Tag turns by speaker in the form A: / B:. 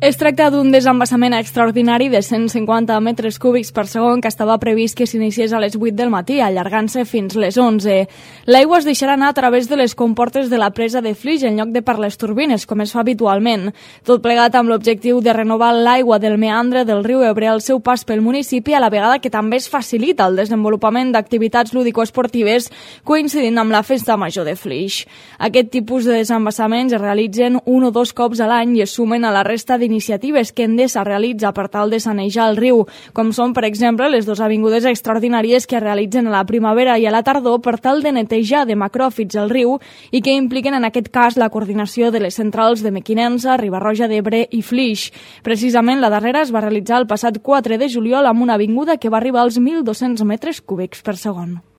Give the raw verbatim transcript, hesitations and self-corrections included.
A: Es tracta d'un desembassament extraordinari de cent cinquanta metres cúbics per segon que estava previst que s'iniciés a les vuit del matí, allargant-se fins les onze. L'aigua es deixarà anar a través de les comportes de la presa de Flix en lloc de per les turbines, com es fa habitualment. Tot plegat amb l'objectiu de renovar l'aigua del meandre del riu Ebre al seu pas pel municipi, a la vegada que també es facilita el desenvolupament d'activitats lúdico-esportives coincidint amb la Festa Major de Flix. Aquest tipus de desembassaments es realitzen un o dos cops a l'any i es sumen a la resta d'iniciatives iniciatives que Endesa realitza per tal de sanejar el riu, com són, per exemple, les dues avingudes extraordinàries que es realitzen a la primavera i a la tardor per tal de netejar de macròfits el riu i que impliquen en aquest cas la coordinació de les centrals de Mequinensa, Riba-roja d'Ebre i Flix. Precisament la darrera es va realitzar el passat quatre de juliol amb una avinguda que va arribar als mil dos-cents metres cúbics per segon.